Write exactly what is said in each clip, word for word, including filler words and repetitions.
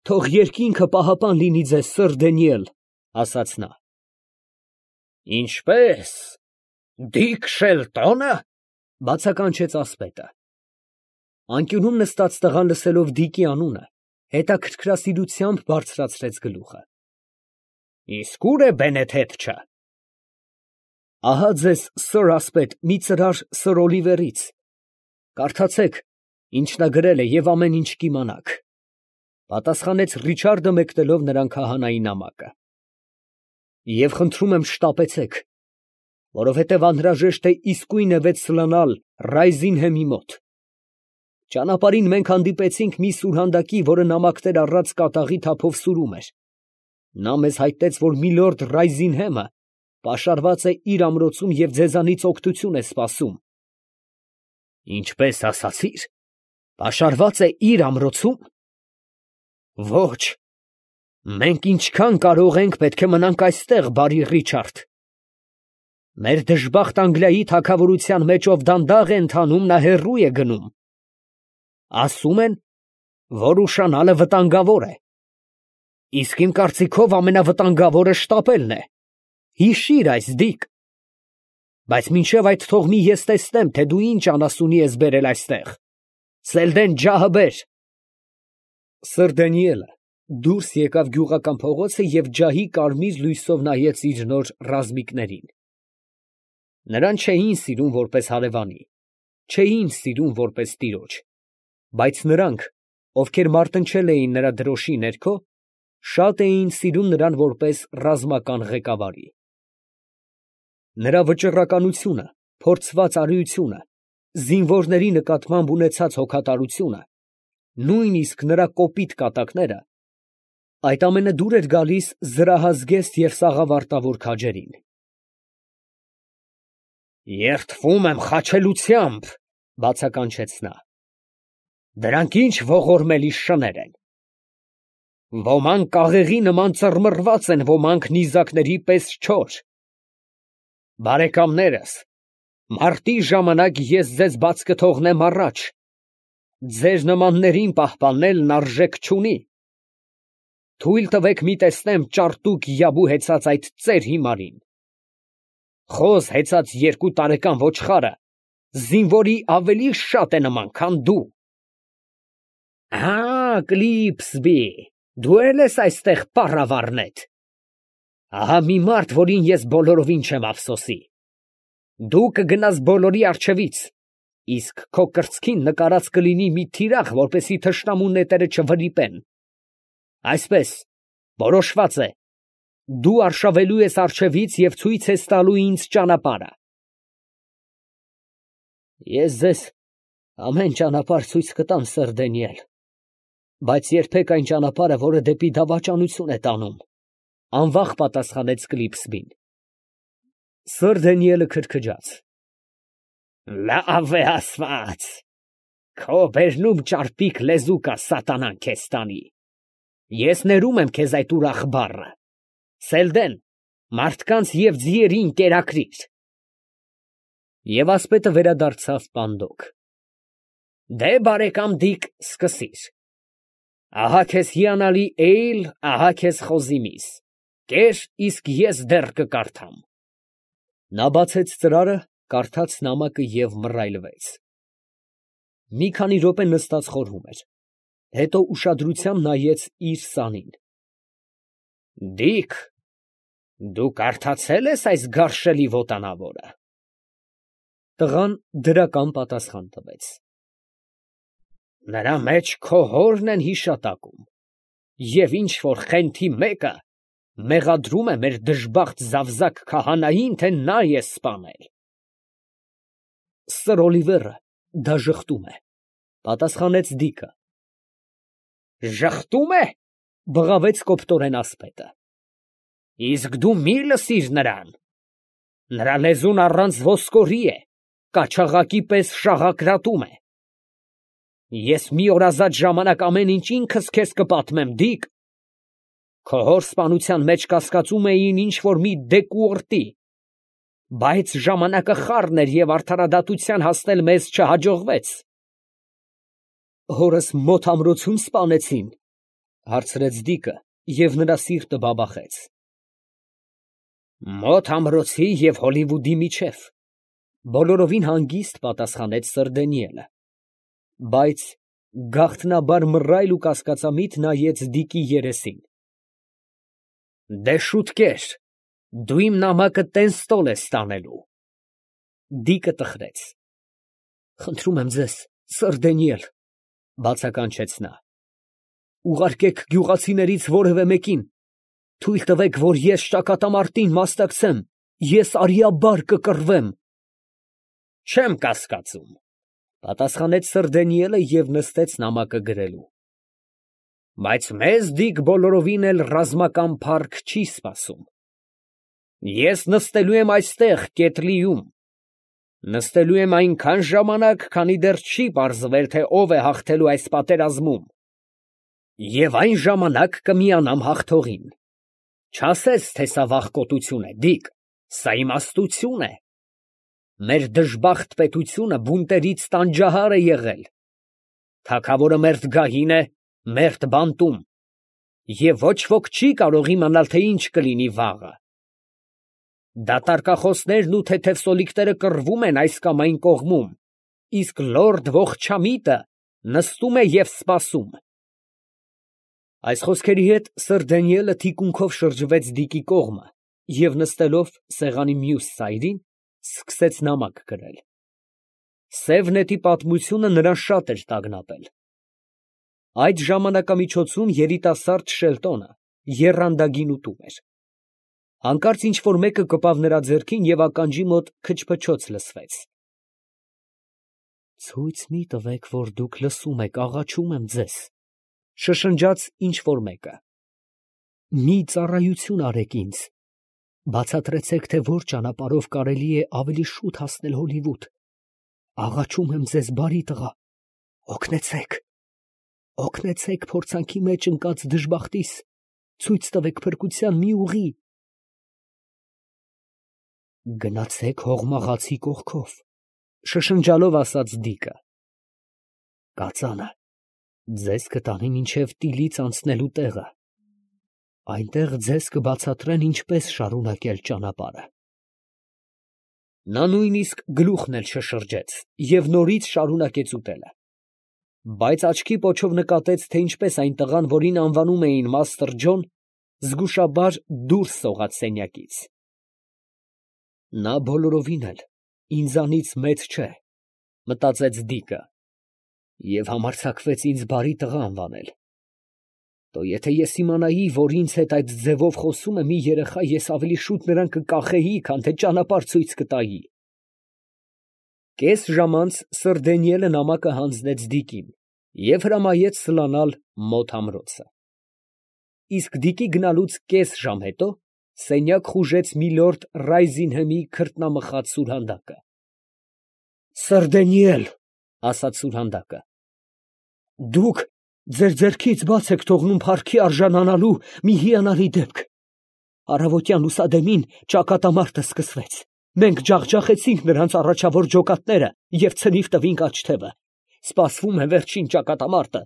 Թող երկինքը պահապան լինի ձեզ, սըր Դանիել, ֊ ասաց նա։ ֊ Ինչպե՞ս, Դիկ Շելտոնը, ֊ բացականչեց ասպետը։ Անկյունում նստած տղան, լսելով Դիկի անունը, հետաքրքրասիրությամբ բարձրացրեց գլուխը։ ֊ Իսկ ո՞ւր է Բենեդետչը։ ֊ Ահա ձեզ, սըր ասպետ, մի ծրար սըր Օլիվերից. կարդացեք, ինչ նա գրել է, և ամեն ինչ կիմանաք, ֊ պատասխանեց Ռիչարդը, մեկնելով նրան քահանայի նամակը։ ֊ Եվ խնդրում եմ շտապեցեք, որովհետև անհրաժեշտ է իսկույն է վեց սլանալ Ռայզինհեմի մոտ։ Ճանապարհին մենք հանդիպեցինք մի սուրհանդակի, որը նամակներ առած կատաղի թափով սուրում էր. նա մեզ հայտնեց, որ միլորդ Ռայզինհեմը պաշարված է իր ամրոցում և ձեզանից օգնություն է սպասում։ ֊ Ինչպես ասացի՞ր, պաշարված է իր ամրոցում։ ֊ Ոչ, մենք ինչքան կարող ենք, պետք է մնանք այստեղ, բարի Ռիչարդ։ Մեր դժբախտ Անգլիայի թագավորության մեջ ով դանդաղ է ընթանում, նա հեռու է գնում։ Ասում են, որ ուշանալը վտանգավոր է, իսկ իմ կարծիքով ամենավտանգավորը շտապելն է։ Հիշիր այս, Դիկ։ Բայց մինչև այդ թող մի ես տեսնեմ, թե դու ինչ անասունի ես բերել այստեղ։ Սելդեն ջահը բեր։ Սըր Դանիելը դուրս եկավ գյուղական փողոցը և ջահի կարմիր լույսով նայեց իր նոր ռազմիկներին։ Նրան չէին սիրում որպես հարևանի, չէին սիրում որպես տիրոջ, բայց նրանք, ովքեր մարտնչել էին նրա դրոշի ներքո, շատ էին սիրում նրան որպես ռազմական ղեկավարի։ Նրա վճռականությունը, փորձված արիությունը, զինվորների նկատմամբ ունեցած հոգատարությունը, նույնիսկ նրա կոպիտ կատակները, այդ ամենը դուր էր գալիս զրահազգեստ և սաղավարտավոր քաջերին։ Երդվում եմ խաչելությամբ, ֊ բացականչեց նա։ Դրանք ինչ ողորմելի շներ են։ Ոմանք կաղեղի նման ծռմռված են, ոմանք նիզակների պես չոր։ Բարեկամներս, մարտի ժամանակ ես ձեզ բաց կթողնեմ առաջ, ձեր նմաններին պահպանելն արժեք չունի։ Թույլ տվեք մի տեսնեմ ճարտուկ յաբու հեծած այդ ծեր հիմարին։ Խոզ հեծած երկու տարեկան ոչխարը զինվորի ավելի շատ է նման, քան դու։ Ա, Կլիպսբի, դու էլ ես այստեղ պառավառնետ։ Ահա մի մարդ, որին ես բոլորովին չեմ ափսոսի։ Դու կգնաս բոլորի առջևից, իսկ քո կրծքին նկարած կլինի մի թիրախ, որպեսզի թշնամու նետերը չվրիպեն։ Այսպես, որոշված է, դու արշավելու ես առջևից և ցույց ես տալու ինձ ճանապարհը։ Ես ձեզ ամեն ճանապարհ ցույց կտամ, սըր Դանիել, բայց երբեք այն ճանապարհը, որը դեպի դավաճանություն է տանում, ֊ անվախ պատասխանեց Կլիպսբին։ Սըր Դանիելը քրքջաց։ Լավ է ասված, քո բերնում ճարպիկ լեզու կա, սատանան քեզ տանի։ Ես ներում եմ քեզ այդ ուրախ բառը։ Սելդեն, մարդկանց և ձիերին կերակրիր։ Եվ ասպետը վերադարձավ պանդոկ։ Դե, բարեկամ Դիկ, սկսիր։ Ահա քեզ հիանալի էյլ, ահա քեզ խոզիմիս։ Կեր, իսկ ես դեռ կկարդամ։ Նա բացեց ծրարը, կարդաց նամակը և մռայլվեց։ Մի քանի րոպե նստած խորհում էր, հետո ուշադրությամբ նայեց իր սանին։ Դիկ, դու կարդացե՞լ ես այս գարշելի ոտանավորը։ Տղան դրական պատասխան տվեց։ Նրա մեջ քո հորն են հիշատակում, և ինչ որ խենթի մեկը մեղադրում է մեր դժբախտ զավզակ քահանային, թե նա է սպանել։ Սըր Օլիվերը դա ժխտում է, ֊ պատասխանեց Դիկը։ Ժխտում է, ֊ բղավեց կոպտորեն ասպետը։ Իսկ դու մի լսիր նրան։ Նրա լեզուն առանց ոսկորի է, կաչաղակի պես շաղակրատում է։ Ես մի օր ազատ ժամանակ ամեն ինչ ինքս քեզ կպատմեմ, Դիկ։ Քո հոր սպանության մեջ կասկածում էին ինչ որ մի դեկուորտի, բայց ժամանակը խառն էր և արդարադատության հասնել մեզ չհաջողվեց։ Հորս մոտ ամրոցում սպանեցին, ֊ Հարցրեց Դիկը, և նրա սիրտը բաբախեց։ Մոտ ամրոցի և Հոլիվուդի միջև, բոլորովին հանգիստ պատասխանեց Սր Դանիելը, բայց գաղտնաբար մռայլ ու կասկածամիտ նայեց Դիկի երեսին։ Դե շուտկեր, դու իմ նամակը տեն ստոլ ես տանելու։ Դիկը տխրեց։ Խնդրում եմ ձեզ, Սր Դանիել, բացականչեց նա, ուղարկեք գյուղացիներից որևէ մեկին, թույլ տվեք, որ ես ճակատամարտին մասնակցեմ, ես արիաբար կկռվեմ։ Չեմ կասկածում, պատասխանեց Սր Դանիելը և նստեց նամակը գրելու։ Բայց մեզ Դիկ բոլորովին էլ ռազմական փառք չի սպասում։ Ես նստելու եմ այստեղ կետլիում, նստելու եմ այնքան ժամանակ, քանի դեռ չի պարզվել, թե ով է հաղթելու այս պատերազմում, և այն ժամանակ կմիանամ հաղթողին։ Չասես, թե սա վախկոտություն է, Դիկ, սա իմաստություն է։ Մեր դժբախտ պետությունը բունտերից տանջահար է եղել, թագավորը մերթ գահին է, մերթ բանտում, և ոչ ոք չի կարող իմանալ, թե ինչ կլինի վաղը։ Դատարկախոսներն ու թեթև սոլիկները կռվում են այս կամ այն կողմում, իսկ լորդ ողջամիտը նստում է և սպասում։ Այս խոսքերի հետ Սր Դանիելը թիկունքով շրջվեց Դիկի կողմը և նստելով սեղանի մյուս ծայրին, սկսեց նամակ գրել։ Սև նետի պատմությունը նրան շատ էր տագնապել։ Այդ ժամանակամիջոցում երիտասարդ Շելտոնը եռանդագին ուտում էր։ Հանկարծ ինչ֊որ մեկը կպավ նրա ձեռքին և ականջի մոտ քչփչոց լսվեց։ Ցույց մի տվեք, որ դուք լսում եք, աղաչում եմ ձեզ, շշնջաց ինչ֊որ մեկը։ Մի ծառայություն արեք ինձ, բացատրեցեք, թե որ ճանապարհով կարելի է ավելի շուտ հասնել Հոլիվուդ։ Աղաչում եմ ձեզ, բարի տղա, օգնեցեք, օգնեցեք փորձանքի մեջ ընկած դժբախտիս, ցույց տվեք փրկության մի ուղի։ Գնացեք հողմաղացի կողքով, շշնջալով ասաց Դիկը։ Կածանը ձեզ կտանի մինչև Տիլից անցնելու տեղը, այնտեղ ձեզ կբացատրեն ինչպես շարունակել ճանապարհը։ Նա նույնիսկ գլուխն էլ չշրջեց և նորից շարունակեց ուտելը, բայց աչքի պոչով նկատեց, թե ինչպես այն տղան, որին անվանում էին Մաստր Ջոն, զգուշաբար դուրս սողաց սենյակից։ Նա բոլորովին էլ ինձանից մեծ չէ, մտածեց Դիկը, և համարձակվեց ինձ բարի տղա անվանել։ Տո եթե ես իմանայի, որ ինձ հետ այդ ձևով խոսում է մի երեխա, ես ավելի շուտ նրան կկախեի, քան թե ճանապարհ ցույց կտայի։ Կես ժամ անց Սր Դանիելը նամակը հանձնեց Դիկին և հրամայեց սլանալ մոտ ամրոցը։ Իսկ Դիկի գնալուց կես ժամ հետո սենյակ խուժեց միլորդ Ռայզինհեմի քրտնամխած սուրհանդակը։ Սր Դանիել, ասաց սուրհանդակը, դուք ձեր ձեռքից բաց եք թողնում փառքի արժանանալու մի հիանալի դեպք։ Առավոտյան լուսադեմին ճակատամարտը սկսվեց։ Մենք ջախջախեցինք նրանց առաջավոր ջոկատները և ցնիվ տվինք աջ թևը։ Սպասվում է վերջին ճակատամարտը։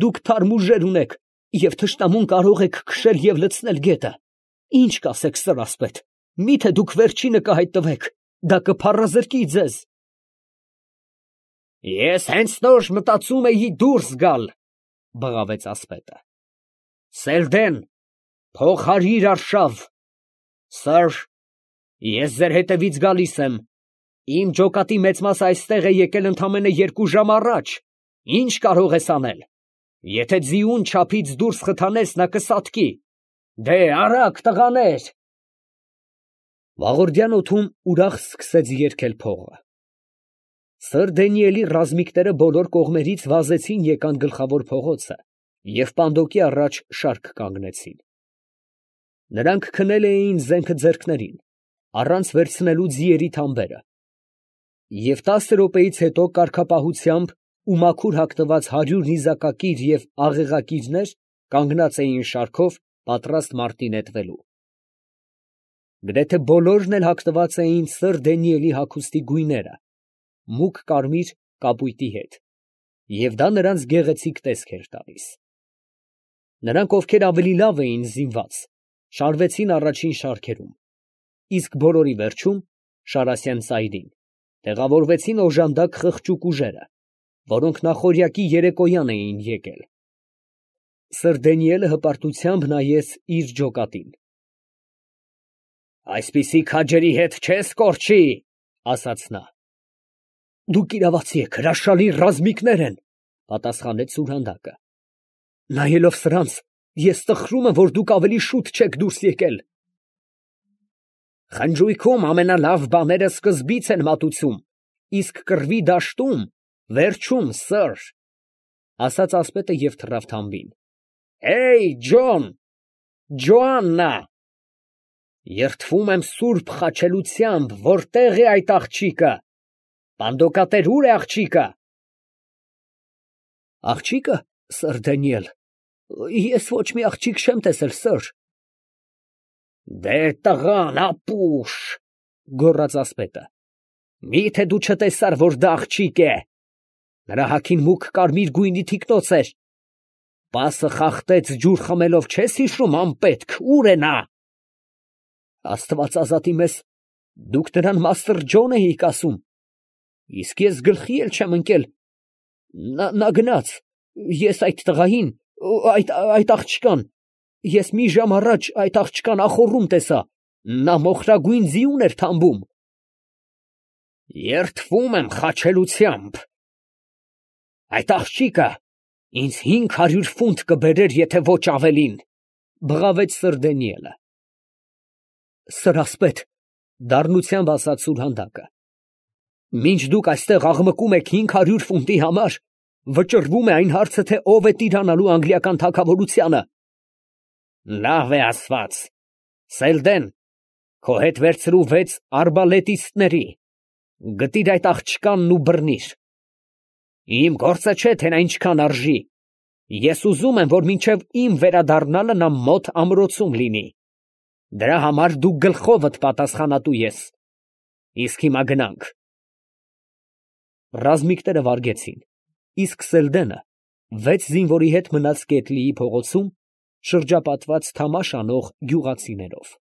Դուք թարմ ուժեր ունեք և թշնամուն կարող եք քշել և լցնել գետը։ Ինչ կասեք, սրասպետ, միթե դուք վերջինը կհայտնվեք, դա կփառազրկի ձեզ։ Ես հենց նոր մտածում էի դուրս գալ, բղավեց ասպետը։ Սելդեն, փող հարիր արշավ։ Սըր, ես ձեր հետևից գալիս եմ։ Իմ ջոկատի մեծ մասը այստեղ է եկել ընդամենը երկու ժամ առաջ։ Ինչ կարող ես անել։ Եթե ձիուն չափից դուրս խթանես, նա կսատկի։ Դե արագ, տղաներ։ Վաղորդյան օդում ուրախ սկսեց երգել փողը։ Սր Դանիելի ռազմիկները բոլոր կողմերից վազեցին եկան գլխավոր փողոցը և պանդոկի առաջ շարք կանգնեցին։ Նրանք քնել էին զենքը ձեռքներին, առանց վերցնելու ձիերի թամբերը, և տասը րոպեից հետո կարգապահությամբ ու մաքուր հագնված հարյուր նիզակակիր և աղեղակիրներ կանգնած էին շարքով, պատրաստ մարտի նետվելու։ Գրեթե բոլորն էլ հագնված էին Սր Դանիելի հագուստի գույները, մուգ կարմիր կապույտի հետ, և դա նրանց գեղեցիկ տեսք էր տալիս։ Նրանք, ովքեր ավելի լավ էին զինված, շարվեցին առաջին շարքերում, իսկ բոլորի վերջում Շարասյան ծայրին տեղավորվեցին օժանդակ խղճուկ ուժերը, որոնք նախօրյակի երեկոյան էին եկել։ Սըր Դանիելը հպարտությամբ նայեց իր ջոկատին։ Այսպիսի քաջերի հետ չես կորչի, ասաց նա։ Դուք իրավացի եք, հրաշալի ռազմիկներ են, պատասխանեց սուրհանդակը։ Նայելով սրանց, ես տխրում եմ, որ դուք ավելի շուտ չեք դուրս եկել։ Խնջույքում ամենալավ բաները սկզբից են մատուցում, իսկ կռվի դաշտում վերջում սըր, ասաց ասպետը և թռավ թամբին։ Հեյ, Ջոն, Ջոաննա, երդվում եմ սուրբ խաչելությամբ, որտեղ է այդ աղջիկը, պանդոկատեր ուր է աղջիկը։ Աղջիկը, սըր Դանիել, ես ոչ մի աղջիկ չեմ տեսել, սըր։ Դե տղան, ապուշ, գոռաց ասպետը, միթե դու չտեսար, որ դա աղջիկ է։ Նրա հագին մուգ կարմիր գույնի թիկնոց էր։ Պասը խախտեց ջուր խմելով, չես հիշում, անպետք, ուր է նա։ Աստված ազատի մեզ, դուք նրան Մաստր Ջոն էիք ասում, իսկ ես գլխի էլ չեմ ընկել, նա, նա գնաց, ես այդ տղային, այդ, այդ աղջկան, ես մի ժամ առաջ այդ աղջկան ախոռում տեսա, նա մոխրագույն ձիուն էր թամբում։ Երդվում եմ խաչելությամբ, այդ աղջիկը ինձ հինգ հարյուր ֆունտ կբերեր, եթե ոչ ավելին, բղավեց սըր Դանիելը։ Սըր ասպետ, դառնությամբ ասաց սուրհանդակը, մինչ դուք այստեղ աղմկում եք հինգ հարյուր ֆունտի համար, վճռվում է այն հարցը, թե ով է տիրանալու անգլիական թագավորությանը։ Լավ է ասված, Սելդեն, քո հետ վերցրու վեց արբալետիստների, գտիր այդ աղջկանն ու բռնիր։ Իմ գործը չէ, թե նա ինչքան արժի, ես ուզում եմ, որ մինչև իմ վերադառնալը նա մոտ ամրոցում լինի։ Դրա համար դու գլխովդ պատասխանատու ես։ Իսկ հիմա գնանք։ Ռազմիկները վարգեցին, իսկ Սելդենը վեց զինվորի հետ մնաց Կեթլիի փողոցում, շրջապատված թամաշ անող գյուղացիներով։